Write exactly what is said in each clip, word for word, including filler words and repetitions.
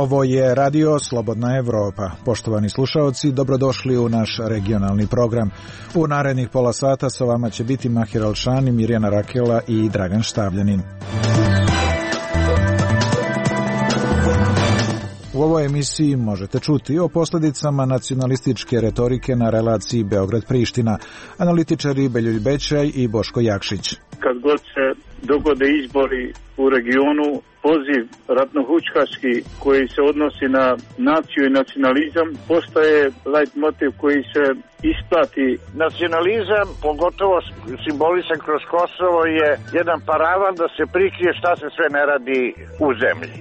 Ovo je Radio Slobodna Evropa. Poštovani slušaoci, dobrodošli u naš regionalni program. U narednih pola sata sa vama će biti Mahir Alšani, Mirjana Rakela i Dragan Štavljanin. U ovoj emisiji možete čuti o posljedicama nacionalističke retorike na relaciji Beograd-Priština, analitičari Beljulj Bećaj i Boško Jakšić. Kad god se dogode izbori u regionu, poziv ratnohučkaški koji se odnosi na naciju i nacionalizam postaje leitmotiv koji se isplati. Nacionalizam, pogotovo simbolisan kroz Kosovo, je jedan paravan da se prikrije šta se sve ne radi u zemlji.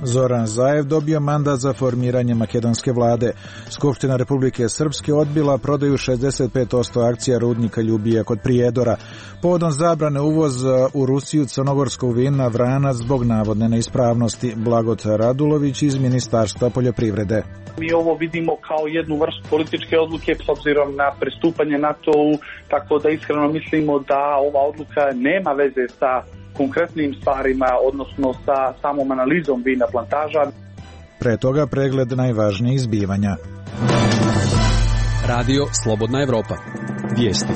Zoran Zaev dobio mandat za formiranje makedonske vlade. Skupština Republike Srpske odbila prodaju šezdeset pet posto akcija rudnika Ljubija kod Prijedora. Povodom zabrane uvoza u Rusiju crnogorskog vina Vranac zbog navodne neispravnosti. Blagot Radulović iz Ministarstva poljoprivrede. Mi ovo vidimo kao jednu vrstu političke odluke s obzirom na pristupanje NATO-u, tako da iskreno mislimo da ova odluka nema veze sa konkretnim stvarima, odnosno sa samom analizom vina plantaža. Pre toga pregled najvažnijih zbivanja. Radio Slobodna Evropa. Vijesti.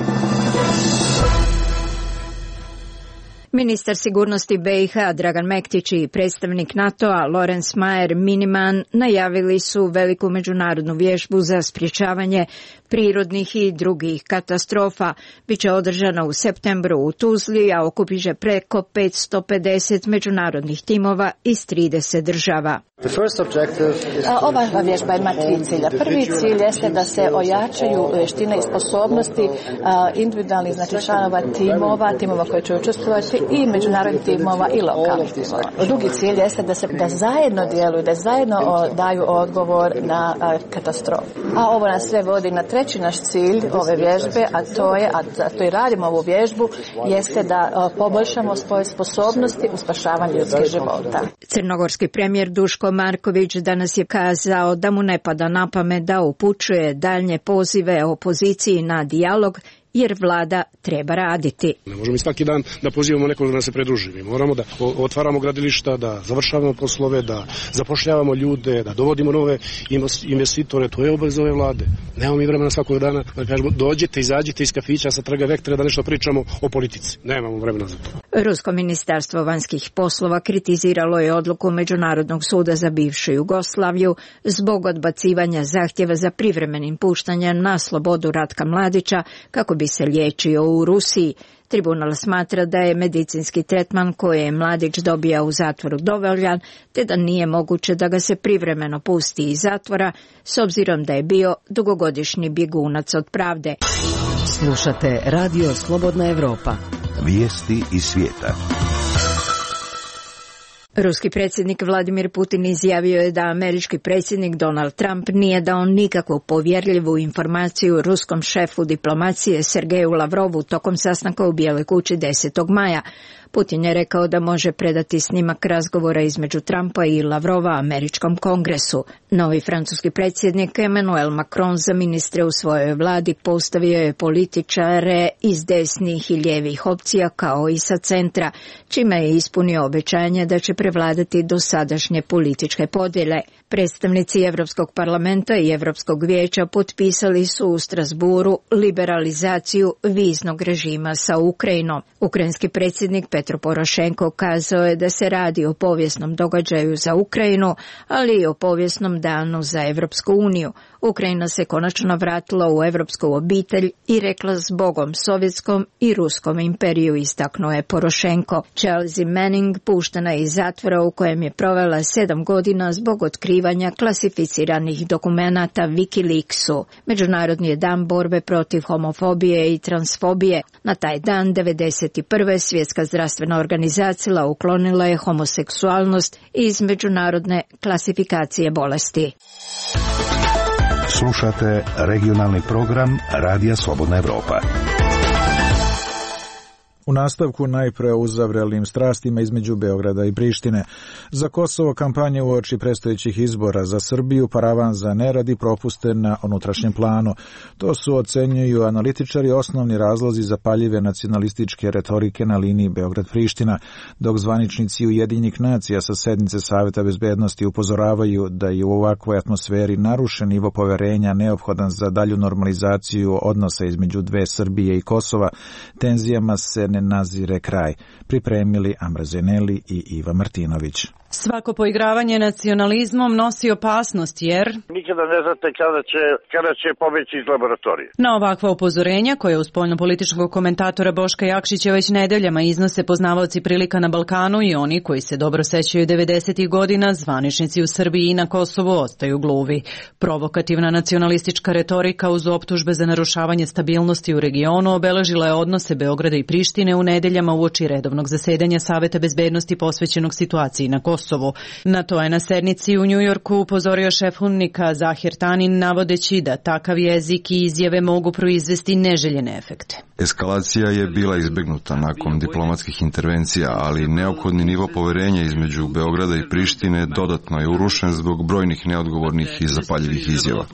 Ministar sigurnosti be i ha Dragan Mektić i predstavnik NATO-a Lorenz Mayer Miniman najavili su veliku međunarodnu vježbu za sprječavanje prirodnih i drugih katastrofa. Biće održana u septembru u Tuzli, a okupit će preko petsto pedeset međunarodnih timova iz trideset država. Ova vježba ima tri cilja. Prvi cilj jeste da se ojačaju vještine i sposobnosti individualnih, znači članova timova, timova koji će učestvovati i međunarodnih timova i lokalnih timova. Drugi cilj jeste da se da zajedno djeluju, da zajedno o, daju odgovor na a, katastrofu. A ovo nas sve vodi na treći naš cilj ove vježbe, a to je, a to i radimo ovu vježbu, jeste da a, poboljšamo svoje sposobnosti u spašavanju ljudskih života. Crnogorski premijer Duško Marković danas je kazao da mu ne pada na pamet da upućuje daljnje pozive opoziciji na dijalog, jer vlada treba raditi. Ne možemo i svaki dan da pozivamo nekog da nas se pridruži. Mi moramo da otvaramo gradilišta, da završavamo poslove, da zapošljavamo ljude, da dovodimo nove investitore. To je obaveza ove vlade. Nemamo mi vremena svakog dana da kažemo dođite, izađite iz kafića sa Trga Vektre da nešto pričamo o politici. Nemamo vremena za to. Rusko ministarstvo vanjskih poslova kritiziralo je odluku Međunarodnog suda za bivšu Jugoslaviju zbog odbacivanja zahtjeva za privremenim puštanjem na slobodu Ratka Mladića kako bi se liječio u Rusiji. Tribunal smatra da je medicinski tretman koji je Mladić dobija u zatvoru dovoljan, te da nije moguće da ga se privremeno pusti iz zatvora, s obzirom da je bio dugogodišnji bjegunac od pravde. Slušate Radio Slobodna Evropa. Vijesti iz svijeta. Ruski predsjednik Vladimir Putin izjavio je da američki predsjednik Donald Trump nije dao nikakvu povjerljivu informaciju ruskom šefu diplomacije Sergeju Lavrovu tokom sastanka u Bijeloj kući desetog maja. Putin je rekao da može predati snimak razgovora između Trumpa i Lavrova američkom kongresu. Novi francuski predsjednik Emmanuel Macron za ministre u svojoj vladi postavio je političare iz desnih i lijevih opcija kao i sa centra, čime je ispunio obećanje da će prevladati dosadašnje političke podjele. Predstavnici Europskog parlamenta i Europskog vijeća potpisali su u Strasburu liberalizaciju viznog režima sa Ukrajinom. Ukrajinski predsjednik Petro Porošenko kazao je da se radi o povijesnom događaju za Ukrajinu, ali i o povijesnom danu za Europsku uniju. Ukrajina se konačno vratila u europsku obitelj i rekla zbogom Sovjetskom i Ruskom imperiju, istaknuo je Porošenko. Chelsea Manning puštena je iz zatvora u kojem je provela sedam godina zbog otkrivanja klasificiranih dokumenata Wikileaksu. Međunarodni je dan borbe protiv homofobije i transfobije. Na taj dan devedeset prve Svjetska zdravstvena organizacija uklonila je homoseksualnost iz međunarodne klasifikacije bolesti. Slušate regionalni program Radija Slobodna Evropa. U nastavku najpre o uzavrelim strastima između Beograda i Prištine. Za Kosovo kampanje uoči predstojećih izbora, za Srbiju paravan za nerad i propuste na unutrašnjem planu. To su, ocenjuju analitičari, osnovni razlozi zapaljive nacionalističke retorike na liniji Beograd-Priština, dok zvaničnici Ujedinjenih nacija sa sednice Saveta bezbednosti upozoravaju da je u ovakvoj atmosferi narušen nivo poverenja neophodan za dalju normalizaciju odnosa između dve Srbije i Kosova, tenzijama se ne nazire kraj. Pripremili Amra Zeneli i Iva Martinović. Svako poigravanje nacionalizmom nosi opasnost jer nikada ne znate kada će, kada će pobeći iz laboratorije. Na ovakva upozorenja, koje uz spoljnopolitičkog komentatora Boška Jakšića već nedeljama iznose poznavaoci prilika na Balkanu i oni koji se dobro sećaju devedesetih godina, zvaničnici u Srbiji i na Kosovu ostaju gluvi. Provokativna nacionalistička retorika uz optužbe za narušavanje stabilnosti u regionu obeležila je odnose Beograda i Prištine u nedeljama uoči redovnog zasedanja Saveta bezbednosti posvećenog situaciji na Kosovu. Na to je na sednici u Njujorku upozorio šef UNMIK-a Zahir Tanin, navodeći da takav jezik i izjave mogu proizvesti neželjene efekte. Eskalacija je bila izbegnuta nakon diplomatskih intervencija, ali neophodni nivo poverenja između Beograda i Prištine dodatno je urušen zbog brojnih neodgovornih i zapaljivih izjava.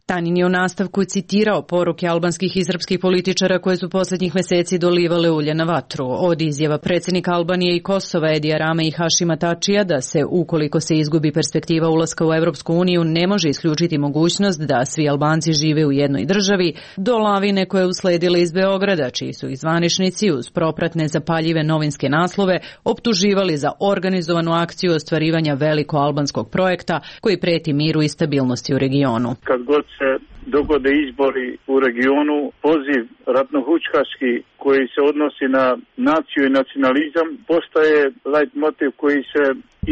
Tanin je u nastavku citirao poruke albanskih i srpskih političara koje su poslednjih meseci dolivale ulje na vatru. Od izjava predsjednika Albanije i Kosova Edija Rame i Hašima Tačija da se, ukoliko se izgubi perspektiva ulaska u Evropsku uniju, ne može isključiti mogućnost da svi Albanci žive u jednoj državi, do lavine koje je usledile iz Beograda, čiji su ih zvaničnici uz propratne zapaljive novinske naslove optuživali za organizovanu akciju ostvarivanja veliko albanskog projekta koji preti miru i stabilnosti u regionu. Kad god se dogode izbori u regionu, poziv ratnohučkaški koji se odnosi na naciju i nacionalizam postaje light motiv koji se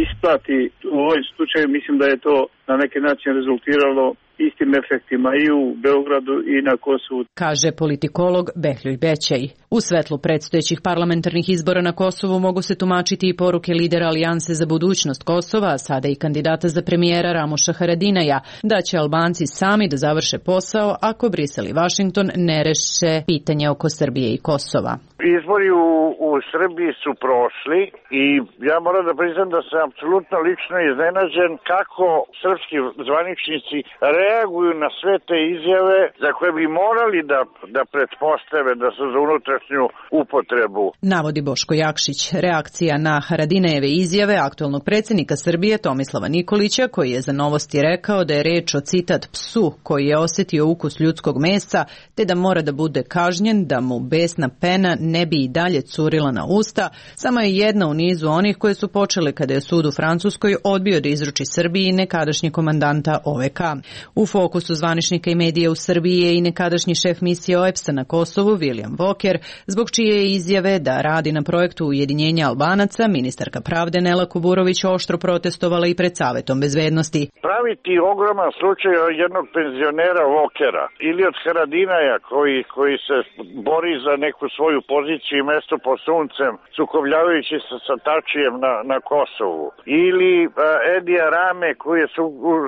isplati. U ovom slučaju mislim da je to na neki način rezultiralo istim efektima i u Beogradu i na Kosovu, kaže politikolog Behljuj Bećej. U svetlu predstojećih parlamentarnih izbora na Kosovu mogu se tumačiti i poruke lidera Alijanse za budućnost Kosova, a sada i kandidata za premijera Ramuša Haradinaja, da će Albanci sami da završe posao ako Brisel i Vašington ne reše pitanje oko Srbije i Kosova. Izbori u, u Srbiji su prošli i ja moram da priznam da sam apsolutno lično iznenađen kako srpski zvaničnici reaguju na sve te izjave za koje bi morali da, da pretpostave da su za unutrašnju upotrebu. Navodi Boško Jakšić. Reakcija na Haradinajeve izjave aktualnog predsjednika Srbije Tomislava Nikolića, koji je za Novosti rekao da je reč o citat psu koji je osjetio ukus ljudskog mesa, te da mora da bude kažnjen, da mu besna pena ne bi i dalje curila na usta, samo je jedna u nizu onih koje su počele kada je sud u Francuskoj odbio da izruči Srbiji nekadašnji komandanta O V K. U fokusu zvaničnika i medija u Srbiji je i nekadašnji šef misije O E P S-a na Kosovu, William Walker, zbog čije je izjave da radi na projektu ujedinjenja Albanaca, ministarka pravde Nela Kuburović oštro protestovala i pred Savetom bezbednosti. Praviti ogroman slučaj jednog penzionera Walkera ili od Haradinaja koji, koji se bori za neku svoju poziciju i mesto pod suncem, sukobljavajući se sa Tačijem na, na Kosovu. Ili uh, Edija Rame koji je su,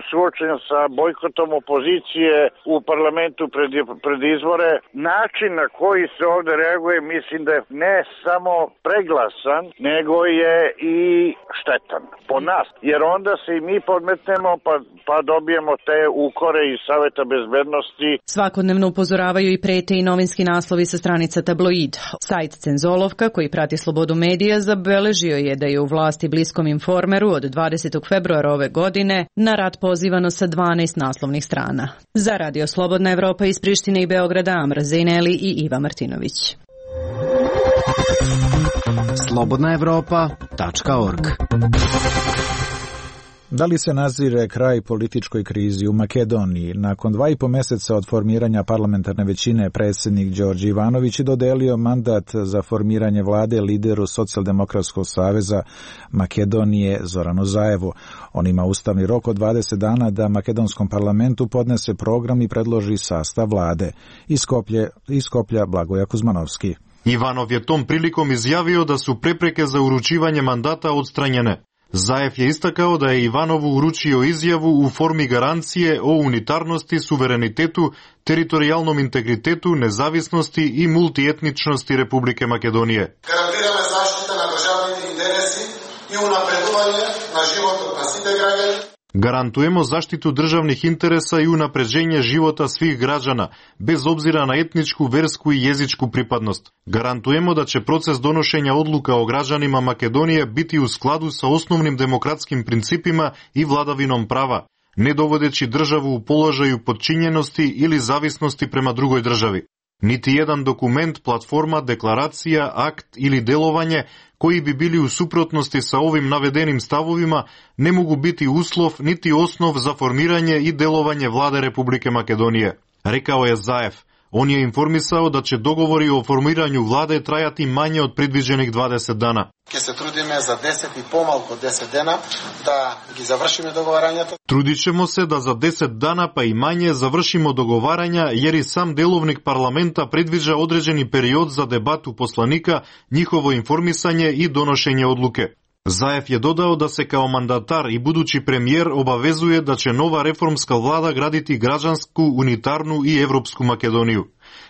suočen sa bojkotom opozicije u parlamentu pred, pred izbore. Način na koji se ovdje reaguje mislim da je ne samo preglasan, nego je i štetan po nas. Jer onda se i mi podmetnemo pa, pa dobijemo te ukore iz Saveta bezbednosti. Svakodnevno upozoravaju i prete i novinski naslovi sa stranica Tabloid. Sajt Cenzolovka, koji prati slobodu medija, zabeležio je da je u vlasti bliskom Informeru od dvadesetog februara ove godine na rat pozivano sa dvanaest naslovnih strana. Za Radio Slobodna Evropa iz Prištine i Beograda, Amra Zeneli i Iva Martinović. slobodna evropa tačka org. Da li se nazire kraj političkoj krizi u Makedoniji? Nakon dva i po meseca od formiranja parlamentarne većine, predsjednik Đorđe Ivanović je dodelio mandat za formiranje vlade lideru Socijaldemokratskog saveza Makedonije Zoranu Zaevu. On ima ustavni rok od dvadeset dana da makedonskom parlamentu podnese program i predloži sastav vlade. Iz Skoplje, iz Skoplja Blagoja Kuzmanovski. Ivanov je tom prilikom izjavio da su prepreke za uručivanje mandata odstranjene. Zaev je istakao da je Ivanovu uručio izjavu u formi garancije o unitarnosti, suverenitetu, teritorijalnom integritetu, nezavisnosti i multietničnosti Republike Makedonije. Гарантираме заштита на државните интереси и унапредување на животот на сите граѓани. Гарантуемо заштиту државних интереса и унапреđenje живота свих граđana, без обзира на етничку, верску и језичку припадност. Гарантуемо да ќе процес доношења одлука о граđанима Македонија бити у складу со основним демократским принципима и владавином права, не доводеći државу у положају подчинености или зависности према другој држави. Нити еден документ, платформа, декларација, акт или деловање кои би били у супротности са овим наведеним ставовима не могу бити услов нити основ за формирање и деловање владе Републике Македонија, рекао е Заев. Он je informisao da će dogovori o formiranju vlade trajati manje od predviđenih dvadeset dana. Ке се трудиме за десет и помалку десет дена да ги завршиме договарањата. Трудit ćemo se da za deset dana pa i manje završimo dogovaranja jer i sam delovnik parlamenta predviđa određeni period za debatu poslanika, njihovo informisanje i donošenje odluke. Заев je dodao da se kao mandatar i budući premijer obavezuje da će nova reformska vlada graditi građansku, unitarnu i evropsku Makedoniju.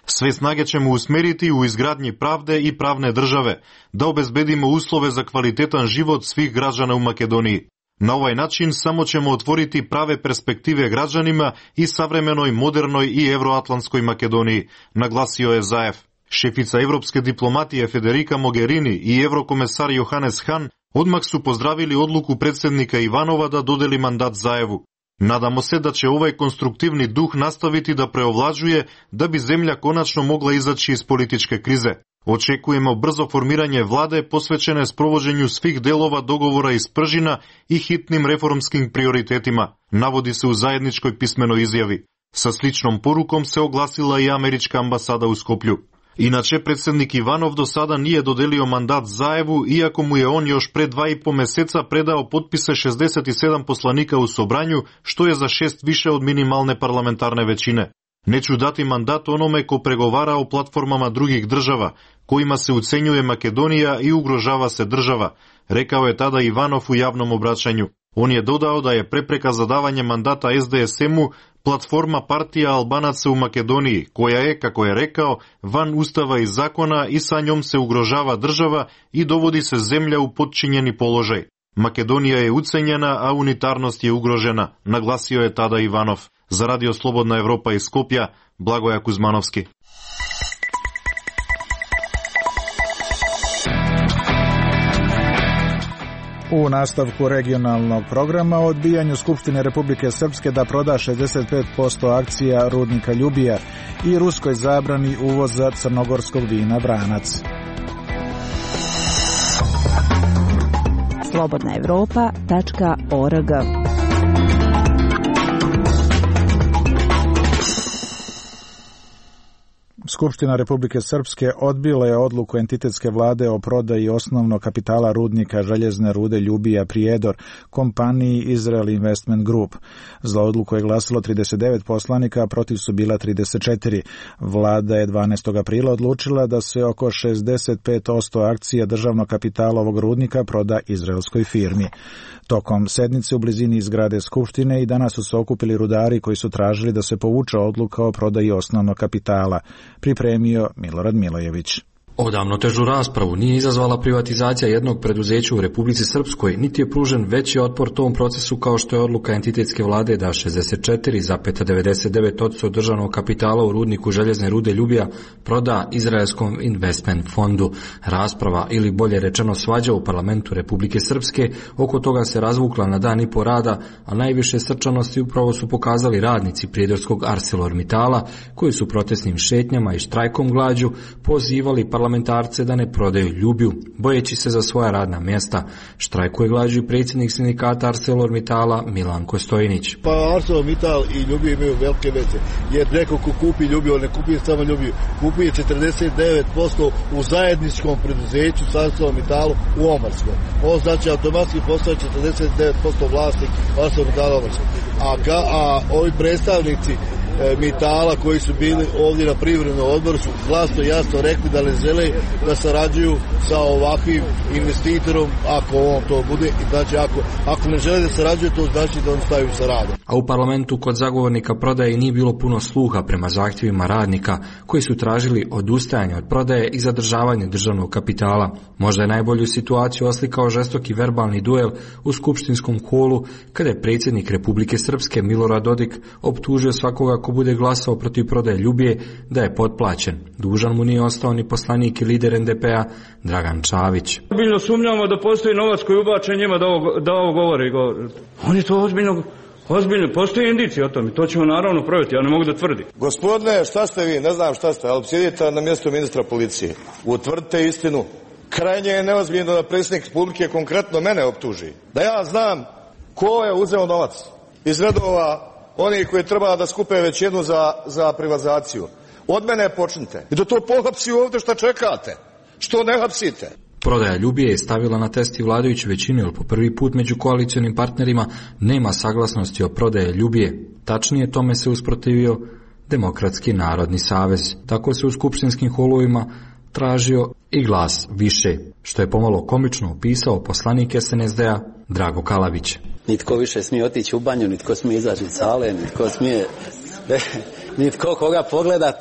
Sve snage ćemo usmeriti u izgradnji pravde i pravne države, da obezbedimo uslove za kvalitetan život svih građana u Makedoniji. Na ovaj način samo ćemo otvoriti prave perspektive građanima i savremenoj, modernoj i evroatlantskoj Makedoniji, naglasio je Zaev. Šefica evropske diplomatije Federica Mogherini i evrokomesar Johannes Hahn odmah su pozdravili odluku predsjednika Ivanova da dodeli mandat Zaevu. Nadamo se da će ovaj konstruktivni duh nastaviti da preovlađuje da bi zemlja konačno mogla izaći iz političke krize. Očekujemo brzo formiranje vlade posvećene sprovođenju svih delova dogovora iz Pržina i hitnim reformskim prioritetima, navodi se u zajedničkoj pismenoj izjavi. Sa sličnom porukom se oglasila i američka ambasada u Skoplju. Inače, predsjednik Ivanov do sada nije dodelio mandat Zaevu, iako mu je on još pre dva i po meseca predao potpise šezdeset sedam poslanika u Sobranju, što je za šest više od minimalne parlamentarne većine. Neću dati mandat onome ko pregovara o platformama drugih država, kojima se ucenjuje Makedonija i ugrožava se država, rekao je tada Ivanov u javnom obraćanju. On je dodao da je prepreka za davanje mandata es de es emu platforma partija Albanaca u Makedoniji, koja je, kako je rekao, van ustava i zakona i sa njom se ugrožava država i dovodi se zemlja u podčinjeni položaj. Makedonija je ucenjena, a unitarnost je ugrožena, naglasio je tada Ivanov. Za Radio Slobodna Evropa iz Skopja, Blagoja Kuzmanovski. U nastavku regionalnog programa o odbijanju Skupštine Republike Srpske da proda šezdeset pet posto akcija rudnika Ljubija i ruskoj zabrani uvoza crnogorskog vina Vranac. slobodna evropa tačka org. Skupština Republike Srpske odbila je odluku entitetske vlade o prodaji osnovnog kapitala rudnika željezne rude Ljubija Prijedor kompaniji Israel Investment Group. Za odluku je glasilo trideset devet poslanika, a protiv su bila trideset četiri. Vlada je dvanaestog aprila odlučila da se oko šezdeset pet posto akcija državnog kapitala ovog rudnika proda izraelskoj firmi. Tokom sednice u blizini zgrade Skupštine i danas su se okupili rudari koji su tražili da se povuče odluka o prodaji osnovnog kapitala. Pripremio Milorad Milojević. Odavno težu raspravu nije izazvala privatizacija jednog preduzeća u Republici Srpskoj, niti je pružen veći otpor tom procesu kao što je odluka entitetske vlade da šezdeset četiri zarez devedeset devet posto državnog kapitala u rudniku željezne rude Ljubija proda izraelskom investment fondu. Rasprava, ili bolje rečeno svađa u parlamentu Republike Srpske, oko toga se razvukla na dan i po rada, a najviše srčanosti upravo su pokazali radnici prijedorskog ArcelorMittala, koji su protestnim šetnjama i štrajkom glađu pozivali parlamentarce da ne prodaju Ljubiju, bojeći se za svoja radna mjesta. Štrajkuje glađu i predsjednik sindikata ArcelorMittala Milanko Stojinić. Pa ArcelorMittal i Ljubiju imaju velike veze, jer neko ko kupi Ljubiju, ne kupi samo Ljubiju, kupi četrdeset devet posto u zajedničkom preduzeću sa ArcelorMittalom u Omarskom. Ovo znači automatski postaje četrdeset devet posto vlasnik ArcelorMittala Omarskog. A, a ovi predstavnici e, Mitala koji su bili ovdje na privrednom odboru su glasno jasno rekli da ne žele da sarađuju sa ovakvim investitorom ako on to bude i znači ako, ako ne žele da sarađuju to znači da on staju sa radom. A u parlamentu kod zagovornika prodaje nije bilo puno sluha prema zahtjevima radnika koji su tražili odustajanje od prodaje i zadržavanje državnog kapitala. Možda je najbolju situaciju oslikao žestoki verbalni duel u skupštinskom holu kada je predsjednik Republike Srpske Milorad Dodik optužio svakoga ko bude glasao protiv prodaje Ljubije da je potplaćen. Dužan mu nije ostao ni poslanik i lider en de pe-a Dragan Čavić. Ozbiljno sumnjamo da postoji novac koji ubačen njima da ovo, da ovo govori. Oni to ozbiljno, ozbiljno, postoji indicije o tome, to ćemo naravno provjeriti, ja ne mogu da tvrdim. Gospodine, šta ste vi, ne znam šta ste, ali sjedite na mjestu ministra policije. Utvrdite istinu. Krajnje je neozbiljno da predsjednik Republike konkretno mene optuži. Da ja znam ko je uzeo novac iz redova onih koji treba da skupe većinu za, za privatizaciju. Od mene počnite. I da to pohapsi ovdje šta čekate. Što ne hapsite? Prodaja Ljubije je stavila na test i vladajuću većinu, jer po prvi put među koalicionim partnerima nema saglasnosti o prodaje Ljubije. Tačnije tome se usprotivio Demokratski narodni savez. Tako se u skupštinskim holovima tražio i glas više, što je pomalo komično opisao poslanik es en es de-a Drago Kalabić. Nitko više smije otići u banju, nitko smije izaći iz sale, nitko smije, nitko koga pogledat.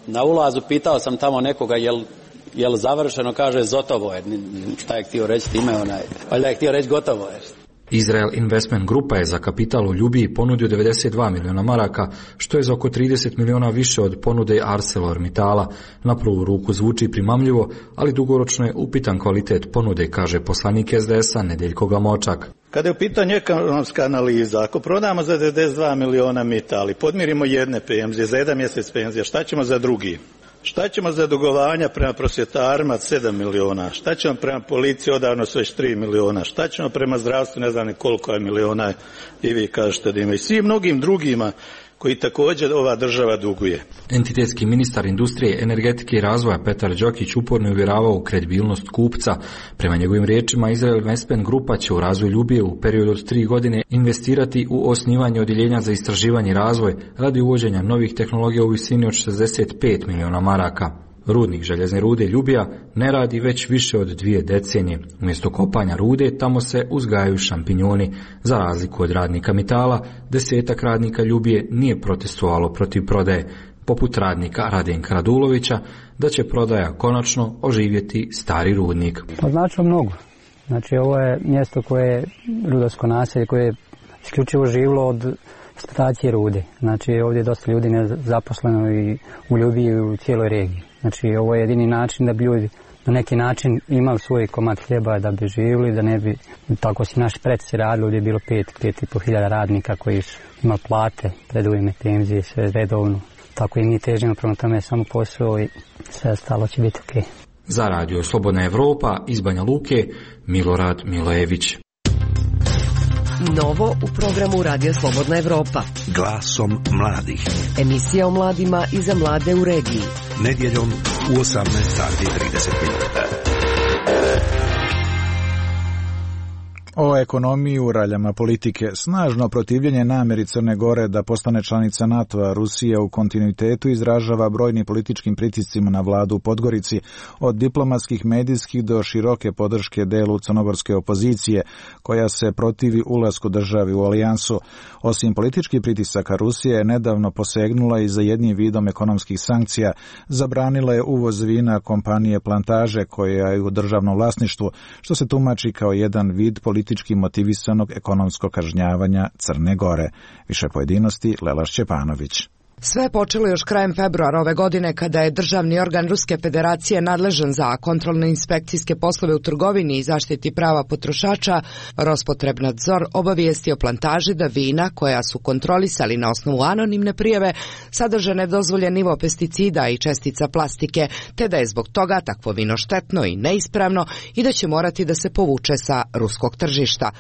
Na ulazu pitao sam tamo nekoga jel, jel završeno, kaže zotovo je. Šta je htio reći time, onaj, valjda je htio reći gotovo je. Izrael Investment Grupa je za kapital u Ljubiji ponudio devedeset dva miliona maraka, što je za oko trideset miliona više od ponude ArcelorMittala. Na prvu ruku zvuči primamljivo, ali dugoročno je upitan kvalitet ponude, kaže poslanik es de es-a Nedeljko Gamočak. Kada je u pitanju ekonomska analiza, ako prodamo za devedeset dva miliona Mittal i podmirimo jedne penzije, za jedan mjesec penzija, šta ćemo za drugi? Šta ćemo za dugovanja prema prosvjetarima sedam miliona? Šta ćemo prema policiji odavno su već tri miliona? Šta ćemo prema zdravstvu, ne znam ni koliko je miliona i vi kažete da ima. I svim mnogim drugima koji također ova država duguje. Entitetski ministar industrije, energetike i razvoja Petar Đokić uporno uvjeravao u kredibilnost kupca. Prema njegovim riječima, Izrael Investment Grupa će u razvoj Ljubije u periodu od tri godine investirati u osnivanje odjeljenja za istraživanje i razvoj radi uvođenja novih tehnologija u visini od šezdeset pet miliona maraka. Rudnik željezne rude Ljubija ne radi već više od dvije decenije. Umjesto kopanja rude tamo se uzgajaju šampinjoni. Za razliku od radnika Mitala, desetak radnika Ljubije nije protestovalo protiv prodaje, poput radnika Radenka Radulovića, da će prodaja konačno oživjeti stari rudnik. Pa znači mnogo. Znači ovo je mjesto koje je rudarsko naselje, koje je isključivo živilo od eksploatacije rude. Znači ovdje je dosta ljudi nezaposleno i u Ljubiji i u cijeloj regiji. Znači ovo je jedini način da bi ljudi na neki način imali svoj komad hljeba da bi živjeli, da ne bi, tako si naši preci radili, ovdje je bilo pet, pet i po hiljada radnika koji su imali plate, predujme, penzije, sve redovno. Tako i mi težimo prema tome samo posao i sve ostalo će biti ok. Za radio Slobodna Evropa iz Banja Luke, Milorad Milojević. Novo u programu Radio Slobodna Evropa. Glasom mladih. Emisija o mladima i za mlade u regiji. Nedjeljom u osamnaest sati i trideset minuta. O ekonomiji u raljama politike. Snažno protivljenje namjeri Crne Gore da postane članica NATO-a, Rusija u kontinuitetu izražava brojnim političkim pritiscima na vladu u Podgorici, od diplomatskih, medijskih do široke podrške delu crnogorske opozicije, koja se protivi ulasku državi u alijansu. Osim političkih pritisaka, Rusija je nedavno posegnula i za jednim vidom ekonomskih sankcija. Zabranila je uvoz vina kompanije Plantaže, koja je u državnom vlasništvu, što se tumači kao jedan vid političkih politički motivisanog ekonomskog kažnjavanja Crne Gore. Više pojedinosti Lela Šćepanović. Sve je počelo još krajem februara ove godine kada je državni organ Ruske federacije nadležan za kontrolne inspekcijske poslove u trgovini i zaštiti prava potrošača Rospotrebnadzor obavijestio Plantaži da vina koja su kontrolisali na osnovu anonimne prijave sadrže nedozvoljen nivo pesticida i čestica plastike, te da je zbog toga takvo vino štetno i neispravno i da će morati da se povuče sa ruskog tržišta.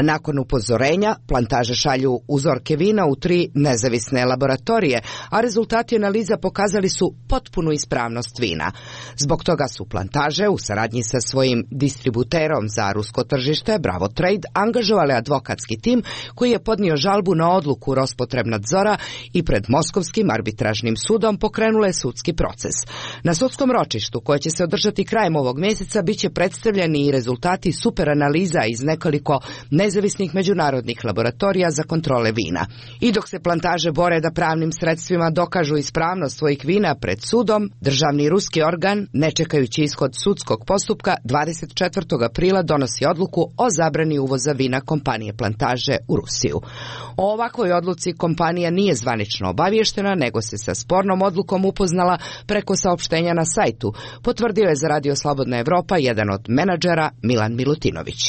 Nakon upozorenja, plantaže šalju uzorke vina u tri nezavisne laboratorije, a rezultati analiza pokazali su potpunu ispravnost vina. Zbog toga su plantaže u saradnji sa svojim distributerom za rusko tržište Bravo Trade angažovali advokatski tim koji je podnio žalbu na odluku Rospotrebnadzora i pred Moskovskim arbitražnim sudom pokrenule sudski proces. Na sudskom ročištu, koje će se održati krajem ovog mjeseca, biće predstavljeni i rezultati superanaliza iz nekoliko nezavisnih međunarodnih laboratorija za kontrole vina. I dok se plantaže bore da pravnim sredstvima dokažu ispravnost svojih vina pred sudom, državni ruski organ, ne čekajući ishod sudskog postupka, dvadeset četvrtog aprila donosi odluku o zabrani uvoza vina kompanije Plantaže u Rusiju. O ovakvoj odluci kompanija nije zvanično obavještena, nego se sa spornom odlukom upoznala preko saopštenja na sajtu, potvrdio je za Radio Slobodna Evropa jedan od menadžera Milan Milutinović.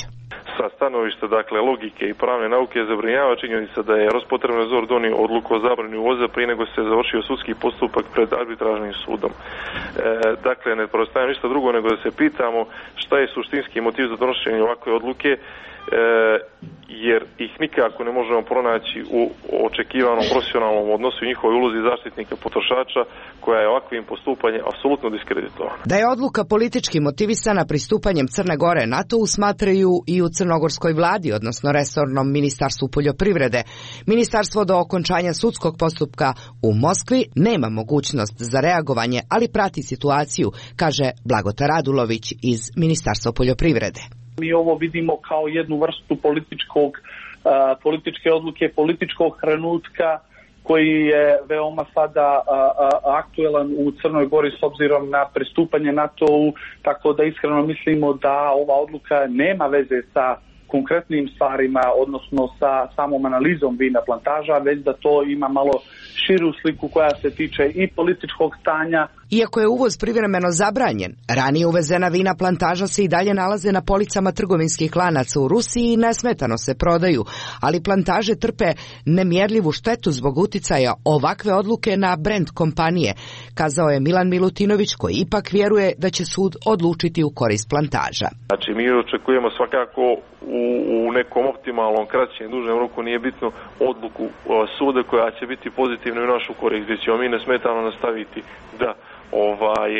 Sa stanovišta, dakle, logike i pravne nauke zabrinjava činjenica da je Rospotrebnadzor donio odluku o zabrani uvoza prije nego se završio sudski postupak pred arbitražnim sudom. E, dakle, ne preostaje ništa drugo nego da se pitamo šta je suštinski motiv za donošenje ovakve odluke, e, jer ih nikako ne možemo pronaći u očekivanom profesionalnom odnosu i njihovoj ulozi zaštitnika potrošača, koja je ovakvim postupanjem apsolutno diskreditovana. Da je odluka politički motivisana pristupanjem Crne Gore NATO-u smatraju i u crnogorskoj vladi, odnosno resornom ministarstvu poljoprivrede. Ministarstvo do okončanja sudskog postupka u Moskvi nema mogućnost za reagovanje, ali prati situaciju, kaže Blagota Radulović iz Ministarstva poljoprivrede. Mi ovo vidimo kao jednu vrstu političkog, uh, političke odluke, političkog trenutka koji je veoma sada uh, uh, aktuelan u Crnoj Gori s obzirom na pristupanje NATO-u, tako da iskreno mislimo da ova odluka nema veze sa konkretnim stvarima, odnosno sa samom analizom vina plantaža, već da to ima malo širu sliku koja se tiče i političkog stanja. Iako je uvoz privremeno zabranjen, ranije uvezena vina plantaža se i dalje nalaze na policama trgovinskih lanaca u Rusiji i nesmetano se prodaju, ali plantaže trpe nemjerljivu štetu zbog uticaja ovakve odluke na brend kompanije, kazao je Milan Milutinović, koji ipak vjeruje da će sud odlučiti u korist plantaža. Znači, mi očekujemo svakako u, u nekom optimalnom, kraćem, dužem roku, nije bitno, odluku suda koja će biti pozitivna u našu korist, gdje ćemo mi nesmetano nastaviti da ovaj,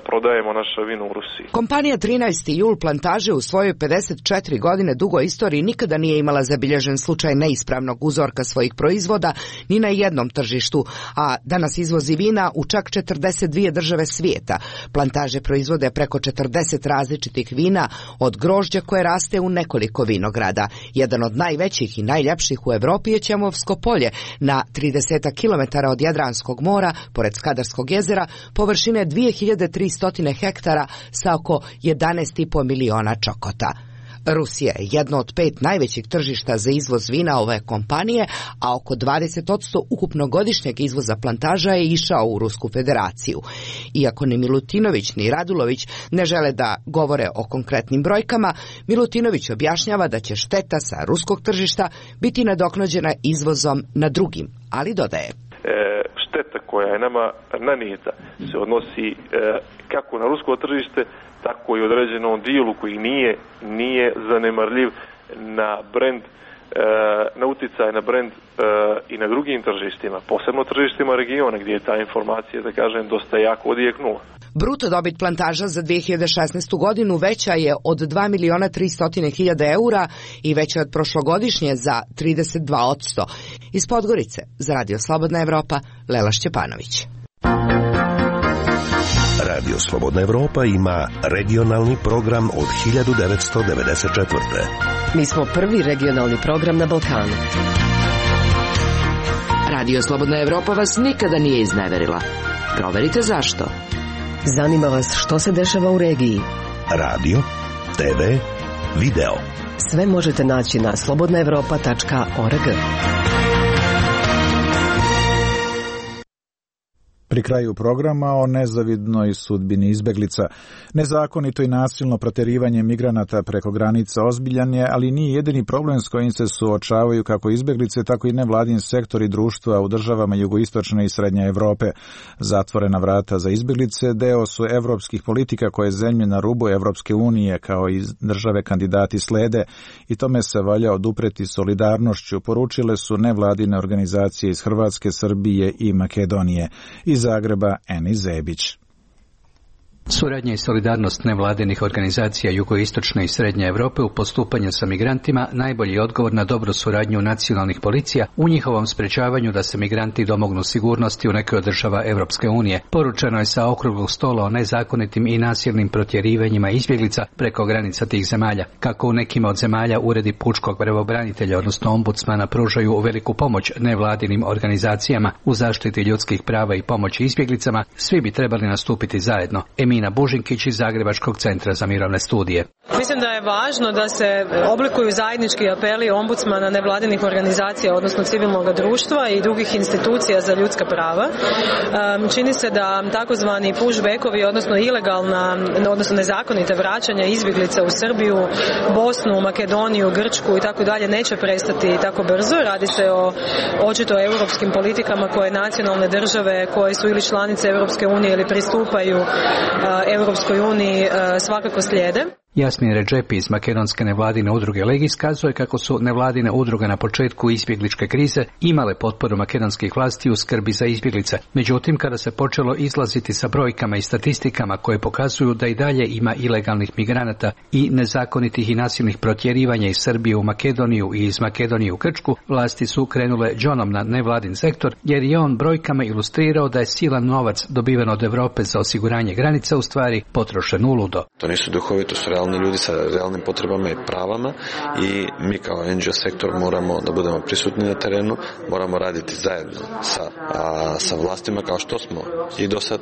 prodajemo naša vino u Rusiji. Kompanija trinaesti jul plantaže u svojoj pedeset četiri godine dugoj istoriji nikada nije imala zabilježen slučaj neispravnog uzorka svojih proizvoda ni na jednom tržištu, a danas izvozi vina u čak četrdeset dvije države svijeta. Plantaže proizvode preko četrdeset različitih vina, od grožđa koje raste u nekoliko vinograda. Jedan od najvećih i najljepših u Evropi je Ćemovsko polje, na trideset kilometara od Jadranskog mora, pored Skadarskog jezera, površine dvije hiljade tristo hektara sa oko jedanaest i po miliona čokota. Rusija je jedno od pet najvećih tržišta za izvoz vina ove kompanije, a oko dvadeset posto ukupnog godišnjeg izvoza plantaža je išao u Rusku federaciju. Iako ni Milutinović ni Radulović ne žele da govore o konkretnim brojkama, Milutinović objašnjava da će šteta sa ruskog tržišta biti nadoknađena izvozom na drugim, ali dodaje. E, šteta koja je nama nanijeta se odnosi e, kako na rusko tržište, tako i određenom dijelu koji nije, nije zanemarljiv na brend, e, na uticaj na brend e, i na drugim tržištima, posebno tržištima regiona gdje je ta informacija, da kažem, dosta jako odjeknula. Bruto dobit plantaža za dvije hiljade šesnaestu godinu veća je od dva miliona tristo hiljada eura i veća od prošlogodišnje za trideset dva posto. Iz Podgorice, za Radio Slobodna Evropa, Lela Šćepanović. Radio Slobodna Evropa ima regionalni program od hiljadu devetsto devedeset četvrte. Mi smo prvi regionalni program na Balkanu. Radio Slobodna Evropa vas nikada nije izneverila. Proverite zašto. Zanima vas što se dešava u regiji. Radio, te ve, video. Sve možete naći na slobodna evropa tačka org. Pri kraju programa o nezavidnoj sudbini izbeglica. Nezakonito i nasilno proterivanje migranata preko granica ozbiljan je, ali nije jedini problem s kojim se suočavaju kako izbeglice, tako i nevladin sektor i društva u državama jugoistočne i srednje Evrope. Zatvorena vrata za izbeglice deo su evropskih politika koje zemlje na rubu Evropske unije kao i države kandidati slede i tome se valja odupreti solidarnošću, poručile su nevladine organizacije iz Hrvatske, Srbije i Makedonije. Iz Zagreba Eni Zebić. Suradnja i solidarnost nevladinih organizacija jugoistočne i srednje Evrope u postupanju sa migrantima najbolji je odgovor na dobru suradnju nacionalnih policija u njihovom sprečavanju da se migranti domognu sigurnosti u nekoj od država Evropske unije. Poručeno je sa okruglog stola o nezakonitim i nasilnim protjerivanjima izbjeglica preko granica tih zemalja. Kako u nekima od zemalja uredi pučkog pravobranitelja, odnosno ombudsmana, pružaju veliku pomoć nevladinim organizacijama u zaštiti ljudskih prava i pomoći izbjeglicama, svi bi trebali nastupiti zajedno. Emina Bužinkić iz Zagrebačkog centra za mirovne studije. Mislim da je važno da se oblikuju zajednički apeli ombudsmana, nevladinih organizacija, odnosno civilnog društva i drugih institucija za ljudska prava. Čini se da takozvani pushbackovi, odnosno ilegalna, odnosno nezakonite vraćanja izbjeglica u Srbiju, Bosnu, Makedoniju, Grčku i tako dalje neće prestati tako brzo. Radi se o očito europskim politikama koje nacionalne države koje su ili članice Europske unije ili pristupaju Europskoj uniji svakako slijede. Jasmin Redžepi iz makedonske nevladine udruge Legis kazuje kako su nevladine udruge na početku izbjegličke krize imale potporu makedonskih vlasti u skrbi za izbjeglice. Međutim, kada se počelo izlaziti sa brojkama i statistikama koje pokazuju da i dalje ima ilegalnih migranata i nezakonitih i nasilnih protjerivanja iz Srbije u Makedoniju i iz Makedonije u Grčku, vlasti su krenule džonom na nevladin sektor, jer je on brojkama ilustrirao da je silan novac dobiven od Evrope za osiguranje granica u stvari potrošen uludo. To nisu duhovi, to su realni ljudi sa realnim potrebama i pravama i mi kao en dži o sektor moramo da budemo prisutni na terenu, moramo raditi zajedno sa, a, sa vlastima kao što smo i do sad,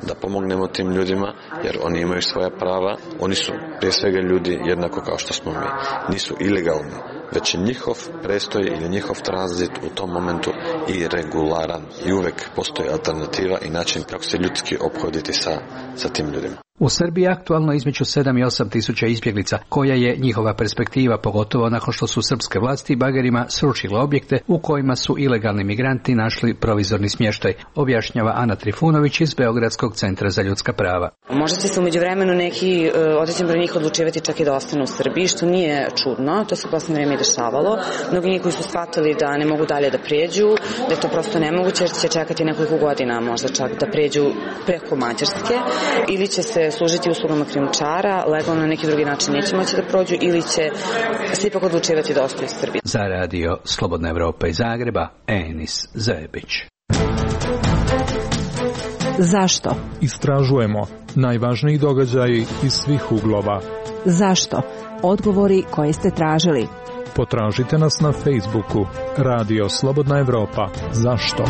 da pomognemo tim ljudima jer oni imaju svoja prava, oni su prije svega ljudi jednako kao što smo mi, nisu ilegalni, već je njihov prestoj ili njihov tranzit u tom momentu i regularan i uvek postoji alternativa i način kako se ljudski ophoditi sa, sa tim ljudima. U Srbiji je aktualno između sedam i osam tisuća izbjeglica, koja je njihova perspektiva, pogotovo nakon što su srpske vlasti bagerima srušile objekte u kojima su ilegalni migranti našli provizorni smještaj, objašnjava Ana Trifunović iz Beogradskog centra za ljudska prava. Možda će se umeđu vremenu neki određen broj njih odlučivati čak i da ostanu u Srbiji, što nije čudno, to se u posljednje vreme i dešavalo. Mnogi njih koji su shvatili da ne mogu dalje da prijeđu, da je to prosto nemoguće jer će čekati nekoliko godina možda čak da prijeđu preko Mađarske, ili će se služiti uslugama krijumčara, legalno na neki drugi način neće moći da prođu ili će se ipak odlučivati da ostaju u Srbiji. Za radio Slobodna Evropa iz Zagreba, Enis Zebić. Zašto? Istražujemo najvažniji događaji iz svih uglova. Zašto? Odgovori koje ste tražili. Potražite nas na Facebooku Radio Slobodna Evropa. Zašto?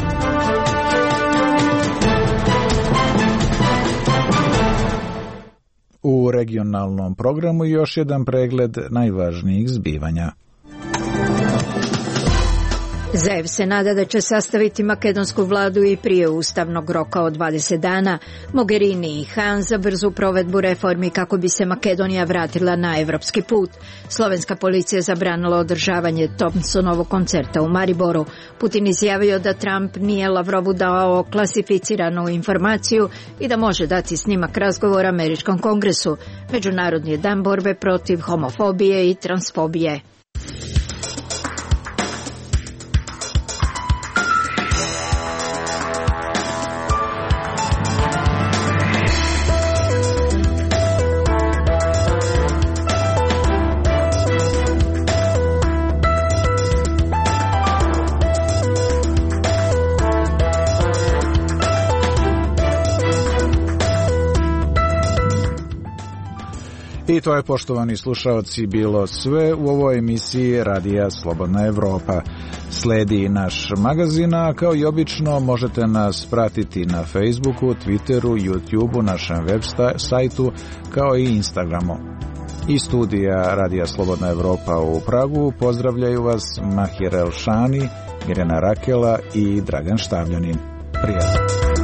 U regionalnom programu još jedan pregled najvažnijih zbivanja. Zaev se nada da će sastaviti makedonsku vladu i prije ustavnog roka od dvadeset dana. Mogherini i Han za brzu provedbu reformi kako bi se Makedonija vratila na evropski put. Slovenska policija zabranila održavanje Thompsonovog koncerta u Mariboru. Putin izjavio da Trump nije Lavrovu dao klasificiranu informaciju i da može dati snimak razgovora američkom kongresu. Međunarodni je dan borbe protiv homofobije i transfobije. I to je, poštovani slušaoci, bilo sve u ovoj emisiji Radija Slobodna Evropa. Sledi naš magazin, a kao i obično možete nas pratiti na Facebooku, Twitteru, YouTubeu, našem web sajtu, kao i Instagramu. Iz studija Radija Slobodna Evropa u Pragu pozdravljaju vas Mahir Elšani, Mirjana Rakela i Dragan Štavljanin. Prijatno.